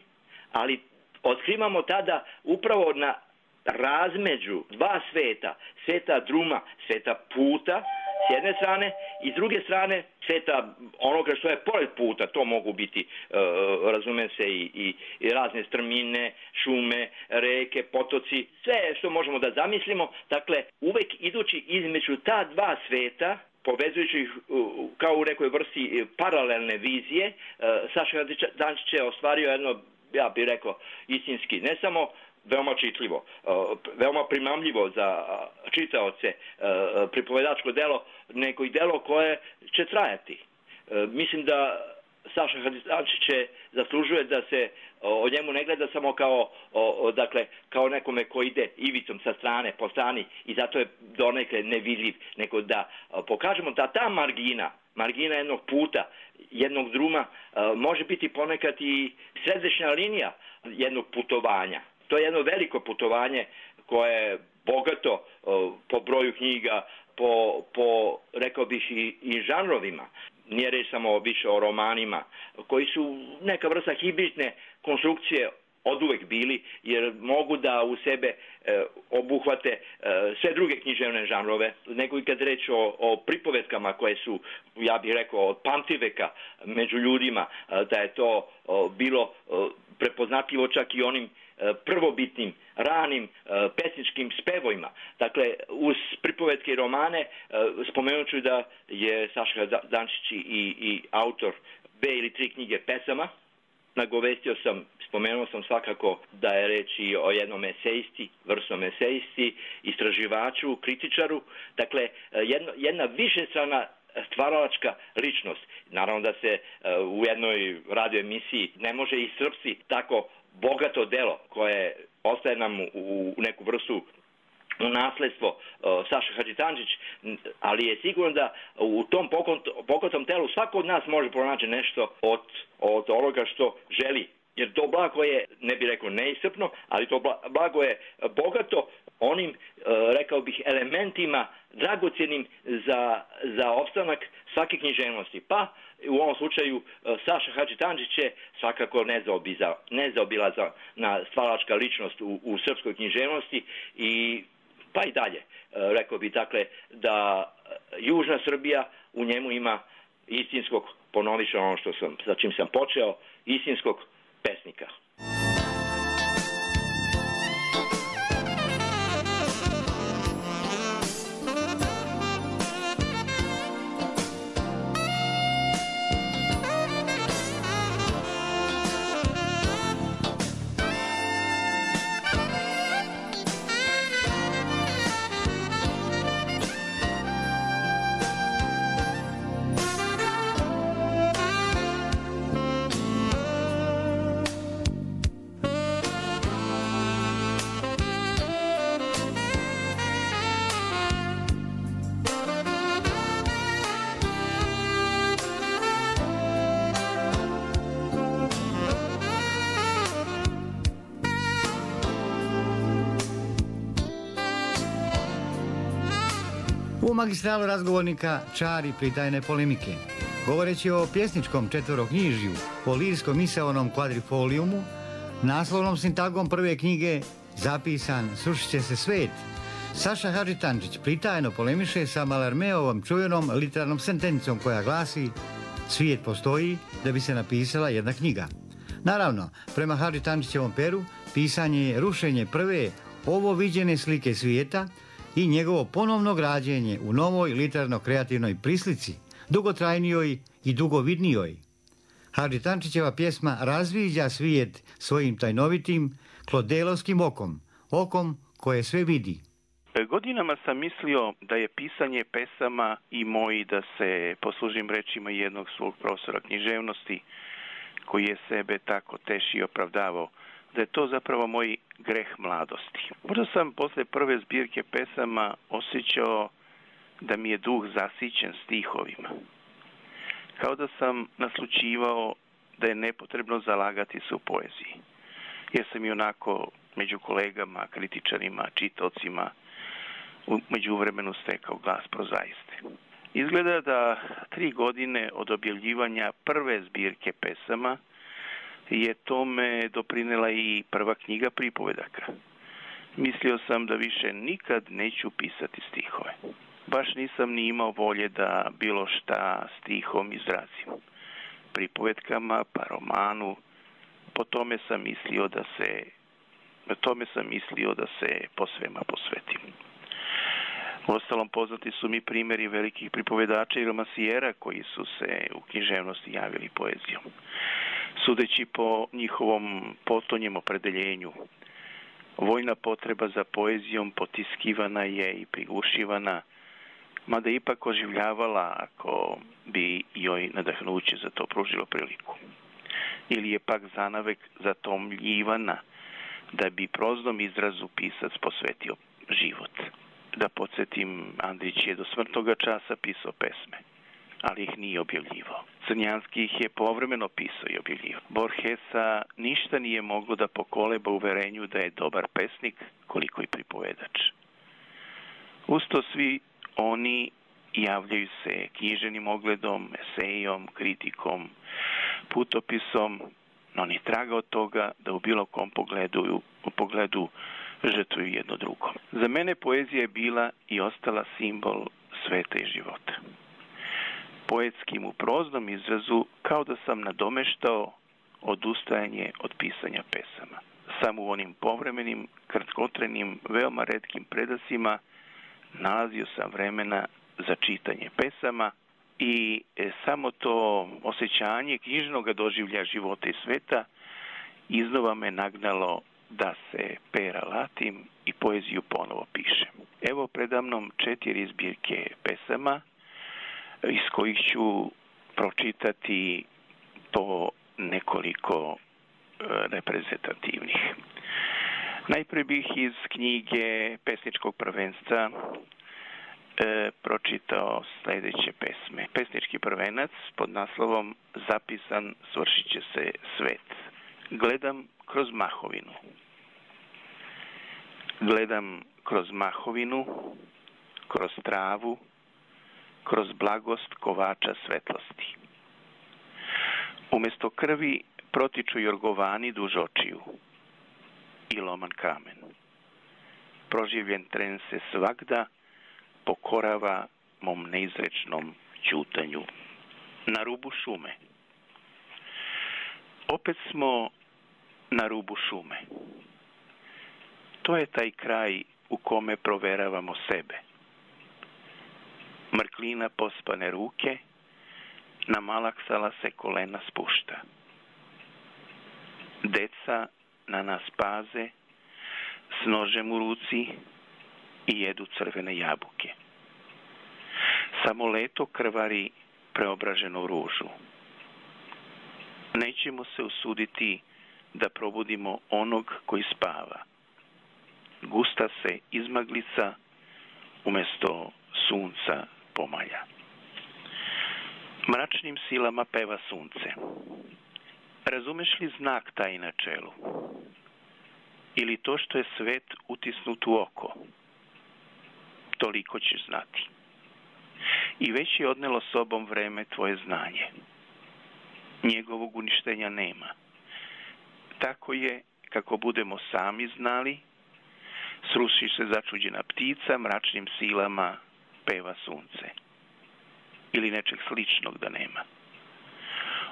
ali otkrivamo tada upravo na razmeđu dva sveta, sveta druma, sveta puta s jedne strane i s druge strane sveta onoga što je pored puta. To mogu biti, e, razume se, i, i, i razne strmine, šume, reke, potoci, sve što možemo da zamislimo. Dakle, uvek idući između ta dva sveta, povezujući ih kao u nekoj vrsti paralelne vizije, e, Saša Hadžidančić je ostvario jedno, ja bih rekao, istinski, ne samo veoma čitljivo, veoma primamljivo za čitaoce pripovedačko delo, nego i delo koje će trajati. Mislim da Saša Hadžidančić zaslužuje da se o njemu ne gleda samo kao, o, dakle, kao nekome ko ide ivicom sa strane, po strani, i zato je donekle nevidljiv, nego da pokažemo da ta margina, margina jednog puta, jednog druma, može biti ponekad i središnja linija jednog putovanja. To je jedno veliko putovanje koje je bogato po broju knjiga, po, po rekao bih, i, i žanrovima. Nije reč samo više o romanima, koji su neka vrsta hibridne konstrukcije oduvek bili, jer mogu da u sebe e, obuhvate e, sve druge književne žanrove, nego i kad reč o, o pripovetkama koje su, ja bih rekao, od pamtiveka među ljudima, e, da je to o, bilo o, prepoznatljivo čak i onim prvobitnim, ranim pesničkim spevojima. Dakle, uz pripovetke i romane spomenut ću da je Saša Hadžidančić i, i autor dve ili tri knjige pesama. Nagovestio sam, spomenuo sam svakako da je reč i o jednom esejisti, vrsnom esejisti, istraživaču, kritičaru. Dakle, jedna, jedna višestrana stvaralačka ličnost. Naravno da se u jednoj radio emisiji ne može iscrpsti tako bogato delo koje ostaje nam u neku vrstu u nasledstvo uh, Saša Hadžidančić, ali je sigurno da u tom bogatom telu svako od nas može pronaći nešto od, od onoga što želi. Jer to blago je, ne bih rekao neiscrpno, ali to blago je bogato onim, uh, rekao bih, elementima dragocjenim za, za opstanak svake književnosti. Pa u ovom slučaju Saša Hadžidančić je svakako nezaobilazna na stvaralačka ličnost u, u srpskoj književnosti, i pa i dalje. Rekao bih, dakle, da Južna Srbija u njemu ima istinskog, ponovit ću ono što sam, sa čim sam počeo, istinskog pesnika. U magistralu razgovornika čari pritajne polemike. Govoreći o pjesničkom četvoroknjižju, o lirskom misaonom kvadrifolijumu, naslovnom sintagom prve knjige zapisan Srušit će se svet, Saša Hadžitančić pritajno polemiše sa Malarmeovom čuvenom literarnom sentencom koja glasi: svijet postoji da bi se napisala jedna knjiga. Naravno, prema Hadžitančićevom peru, pisanje je rušenje prve ovo viđene slike svijeta i njegovo ponovno građenje u novoj literarno-kreativnoj prislici, dugotrajnijoj i dugovidnijoj. Hadžitančićeva pjesma razviđa svijet svojim tajnovitim, klodelovskim okom, okom koje sve vidi. Godinama sam mislio da je pisanje pesama i moj, da se poslužim rečima jednog svog profesora književnosti, koji je sebe tako teši i opravdavao, da je to zapravo moj greh mladosti. Možda sam posle prve zbirke pesama osjećao da mi je duh zasićen stihovima. Kao da sam naslućivao da je nepotrebno zalagati se u poeziji. Jer sam i onako među kolegama, kritičarima, čitaocima u međuvremenu stekao glas prozaiste. Izgleda da tri godine od objavljivanja prve zbirke pesama je tome doprinela i prva knjiga pripovedaka. Mislio sam da više nikad neću pisati stihove. Baš nisam ni imao volje da bilo šta stihom izrazim. Pripovetkama, pa romanu, po tome sam mislio da se, po tome sam mislio da se posvema posvetim. Uostalom, poznati su mi primjeri velikih pripovedača i romansijera koji su se u književnosti javili poezijom. Sudeći po njihovom potonjem opredeljenju, vojna potreba za poezijom potiskivana je i prigušivana, mada ipak oživljavala ako bi joj nadahnuće za to pružilo priliku. Ili je pak zanavek zatomljivana da bi proznom izrazu pisac posvetio život. Da podsjetim, Andrić je do smrtnoga časa pisao pesme, ali ih nije objavljivao. Crnjanski ih je povremeno pisao i objavljivao. Borgesa ništa nije moglo da pokoleba uverenju da je dobar pesnik, koliko i pripovedač. Usto svi oni javljaju se književnim ogledom, esejom, kritikom, putopisom, no ni traga od toga da u bilo kom pogledu, u pogledu žrtvuju jedno drugo. Za mene poezija je bila i ostala simbol sveta i života. Poetskim u proznom izrazu kao da sam nadomeštao odustajanje od pisanja pesama. Samo u onim povremenim, kratkotrenim, veoma retkim predasima nalazio sam vremena za čitanje pesama i samo to osjećanje knjižnog doživlja života i sveta iznova me nagnalo da se pera latim i poeziju ponovo pišem. Evo predamnom četiri zbirke pesama iz kojih ću pročitati po nekoliko reprezentativnih. Najprije bih iz knjige Pesničkog prvenstva e, pročitao sljedeće pesme. Pesnički prvenac pod naslovom Zapisan svršit će se svet. Gledam kroz mahovinu. Gledam kroz mahovinu, kroz travu, kroz blagost kovača svetlosti. Umjesto krvi protiču jorgovani duž očiju i loman kamen. Proživljen tren se svagda pokorava mom neizrečnom ćutanju. Na rubu šume. Opet smo na rubu šume. To je taj kraj u kome proveravamo sebe. Mrklina pospane ruke, na malaksala se kolena spušta. Deca na nas paze, s nožem u ruci i jedu crvene jabuke. Samo leto krvari preobraženu ružu. Nećemo se usuditi da probudimo onog koji spava. Gusta se izmaglica umjesto sunca pomalja. Mračnim silama peva sunce. Razumeš li znak taj na čelu? Ili to što je svet utisnut u oko? Toliko ćeš znati. i već je odnelo sobom vreme tvoje znanje. Njegovog uništenja nema. Tako je, kako budemo sami znali, sruši se začuđena ptica, mračnim silama peva sunce. Ili nečeg sličnog da nema.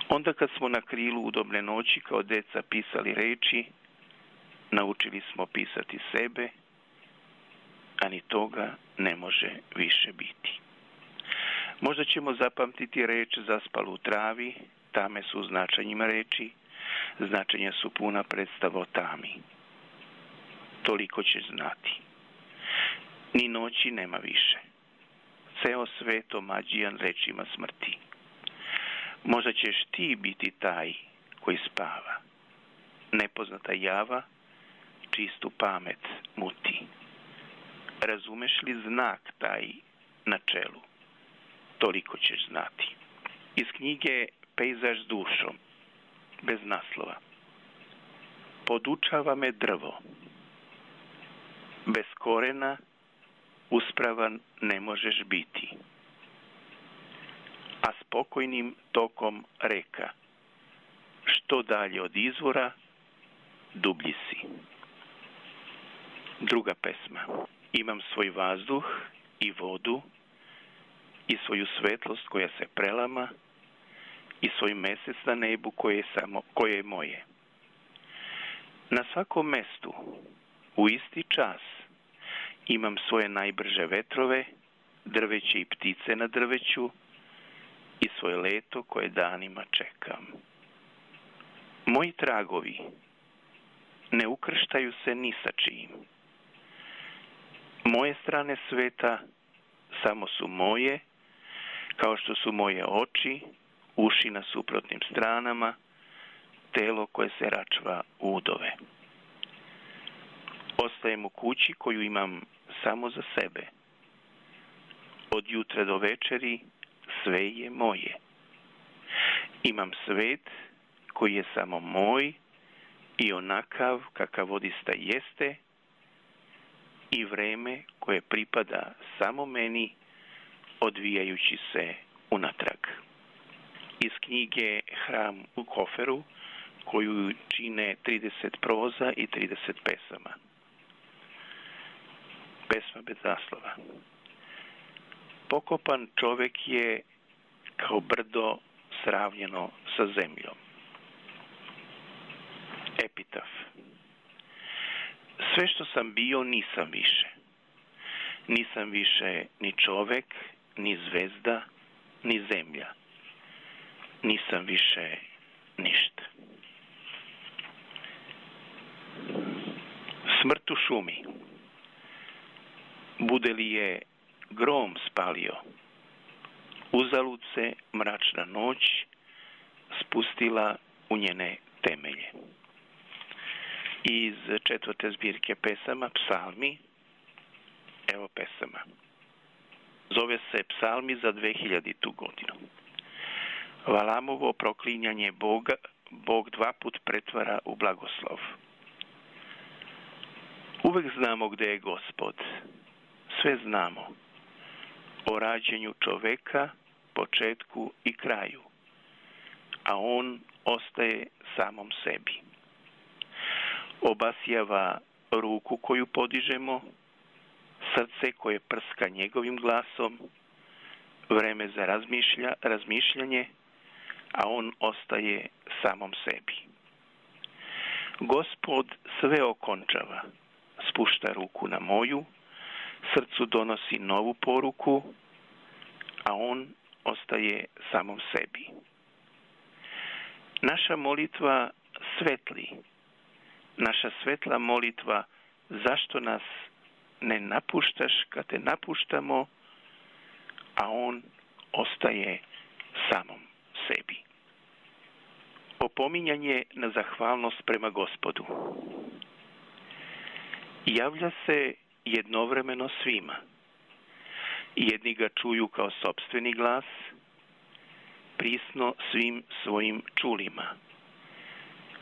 Onda kad smo na krilu udobne noći kao deca pisali reči, naučili smo pisati sebe, a ni toga ne može više biti. Možda ćemo zapamtiti reč zaspalu u travi, tame su značenjima reči, značenja su puna predstava o tami. Toliko ćeš znati. Ni noći nema više. Ceo svet omađijan rečima smrti. Možda ćeš ti biti taj koji spava. Nepoznata java čistu pamet muti. Razumeš li znak taj na čelu? Toliko ćeš znati. Iz knjige Pejzaž s dušom, bez naslova. Podučava me drvo. Bez korena uspravan ne možeš biti. A spokojnim tokom reka, što dalje od izvora, dublji si. Druga pesma. Imam svoj vazduh i vodu i svoju svetlost koja se prelama i svoj mesec na nebu koje je, samo, koje je moje. Na svakom mestu, u isti čas, imam svoje najbrže vetrove, drveće i ptice na drveću i svoje leto koje danima čekam. Moji tragovi ne ukrštaju se ni sa čim. Moje strane sveta samo su moje, kao što su moje oči, uši na suprotnim stranama, telo koje se račva u udove. Ostajem u kući koju imam samo za sebe. Od jutra do večeri sve je moje. Imam svet koji je samo moj i onakav kakav odista jeste i vreme koje pripada samo meni odvijajući se unatrag. Iz knjige Hram u koferu koju čine trideset proza i trideset pesama. Pesma bez naslova. Pokopan čovek je kao brdo sravnjeno sa zemljom. Epitaf. Sve što sam bio nisam više. Nisam više ni čovek, ni zvezda, ni zemlja. Nisam više ništa. Smrt u šumi. Bude li je grom spalio, uzalud se mračna noć spustila u njene temelje. Iz četvrte zbirke pesama Psalmi, evo pesama. Zove se Psalmi za dvehiljaditu godinu. Valamovo proklinjanje Boga, Bog dva put pretvara u blagoslov. Uvek znamo gde je Gospod. Sve znamo. O rađenju čoveka, početku i kraju. A on ostaje samom sebi. Obasjava ruku koju podižemo, srce koje prska njegovim glasom, vreme za razmišlja, razmišljanje, a on ostaje samom sebi. Gospod sve okončava, spušta ruku na moju, srcu donosi novu poruku, a on ostaje samom sebi. Naša molitva svetli, naša svetla molitva, zašto nas ne napuštaš kad te napuštamo, a on ostaje samom sebi. Opominjanje na zahvalnost prema Gospodu. Javlja se jednovremeno svima. Jedni ga čuju kao sopstveni glas, prisno svim svojim čulima.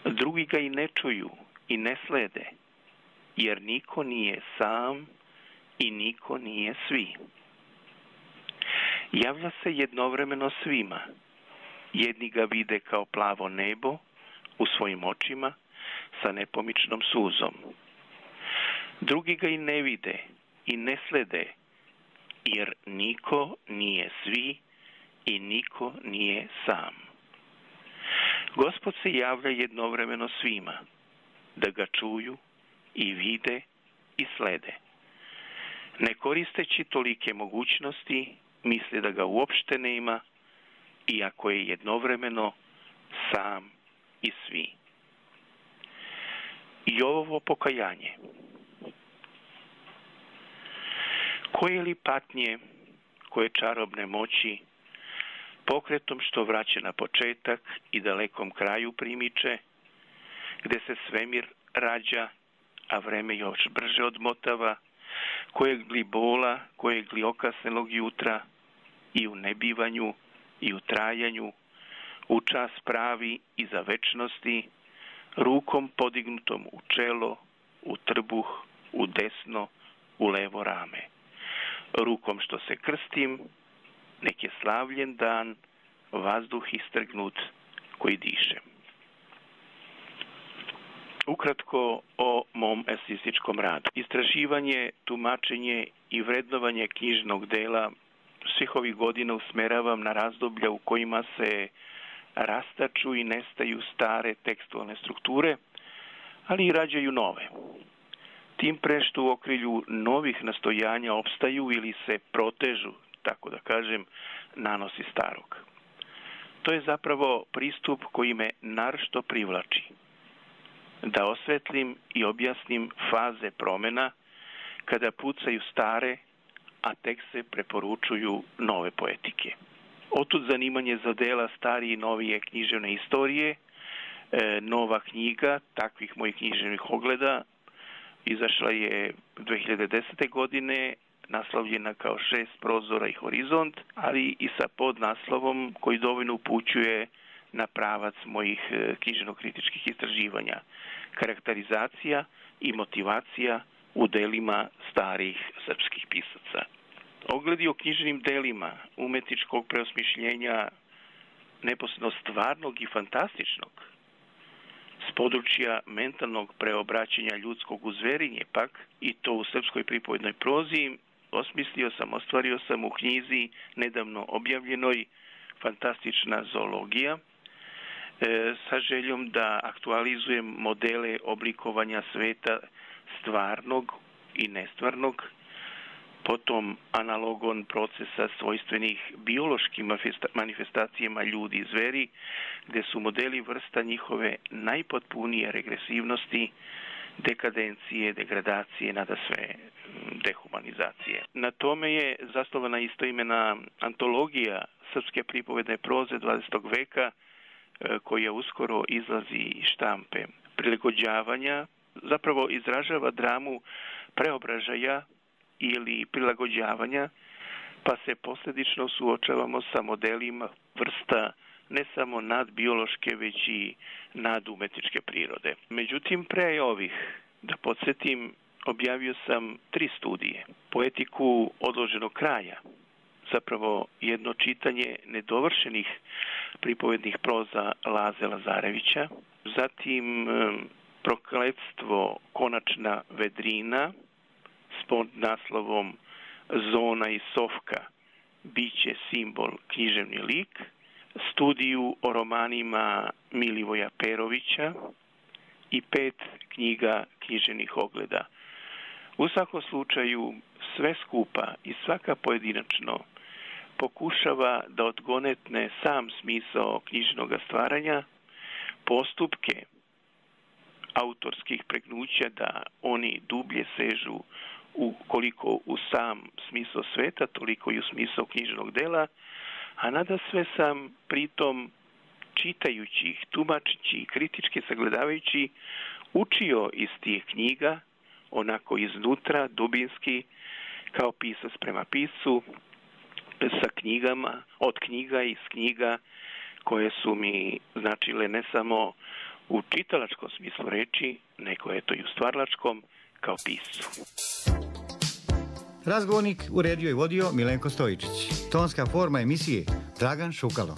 Drugi ga i ne čuju i ne slede, jer niko nije sam i niko nije svi. Javlja se jednovremeno svima. Jedni ga vide kao plavo nebo u svojim očima sa nepomičnom suzom. Drugi ga i ne vide i ne slede, jer niko nije svi i niko nije sam. Gospod se javlja jednovremeno svima, da ga čuju i vide i slede. Ne koristeći tolike mogućnosti, misli da ga uopšte nema, iako je jednovremeno sam i svi. I ovo pokajanje. Koje li patnje, koje čarobne moći, pokretom što vraća na početak i dalekom kraju primiče, gde se svemir rađa, a vreme još brže odmotava, kojeg li bola, kojeg li okasnelog jutra, i u nebivanju, i u trajanju, u čas pravi i za večnosti, rukom podignutom u čelo, u trbuh, u desno, u levo rame. Rukom što se krstim, nek je slavljen dan, vazduh istrgnut koji dišem. Ukratko o mom eseističkom radu. Istraživanje, tumačenje i vrednovanje knjižnog dela svih ovih godina usmeravam na razdoblja u kojima se rastaču i nestaju stare tekstualne strukture, ali i rađaju nove. Tim pre što u okrilju novih nastojanja opstaju ili se protežu, tako da kažem, nanosi starog. To je zapravo pristup koji me naročito privlači. Da osvetlim i objasnim faze promena kada pucaju stare, a tek se preporučuju nove poetike. Otud zanimanje za dela starije i novije književne istorije, e, nova knjiga takvih mojih književnih ogleda izašla je dve hiljade desete. godine, naslovljena kao Šest prozora i horizont, ali i sa podnaslovom koji dovoljno upućuje na pravac mojih književno-kritičkih istraživanja, karakterizacija i motivacija u delima starih srpskih pisaca. Ogledi o književnim delima umetničkog preosmišljenja neposredno stvarnog i fantastičnog, s područja mentalnog preobraćanja ljudskog u zverinje pak, i to u srpskoj pripovednoj prozi, osmislio sam, ostvario sam u knjizi nedavno objavljenoj Fantastična zoologija, e, sa željom da aktualizujem modele oblikovanja sveta stvarnog i nestvarnog, potom analogon procesa svojstvenih biološkim manifestacijama ljudi i zveri, gde su modeli vrsta njihove najpotpunije regresivnosti, dekadencije, degradacije, nada sve dehumanizacije. Na tome je zasnovana istoimena antologija srpske pripovedne proze dvadesetog veka, koja uskoro izlazi iz štampe. Prilagođavanja zapravo izražava dramu preobražaja ili prilagođavanja, pa se posljedično suočavamo sa modelima vrsta ne samo nadbiološke, već i nadumetničke prirode. Međutim, pre ovih, da podsjetim, objavio sam tri studije. Poetiku odloženog kraja, zapravo jedno čitanje nedovršenih pripovednih proza Laze Lazarevića, zatim Prokletstvo konačna vedrina s podnaslovom Zona i Sofka, biće simbol književni lik, studiju o romanima Milivoja Perovića i pet knjiga književnih ogleda. U svakom slučaju sve skupa i svaka pojedinačno pokušava da odgonetne sam smisao knjižnog stvaranja, postupke autorskih pregnuća da oni dublje sežu u koliko u sam smisao sveta, toliko i u smisao knjižnog dela, a nada sve sam pritom čitajući ih, tumačići i kritički sagledavajući učio iz tih knjiga, onako iznutra, dubinski, kao pisac prema piscu, sa knjigama, od knjiga i iz knjiga koje su mi značile ne samo u čitalačkom smislu reči, nego je to i u stvaralačkom kao piscu. Razgovornik uredio i vodio Milenko Stojičić. Tonska forma emisije Dragan Šukalo.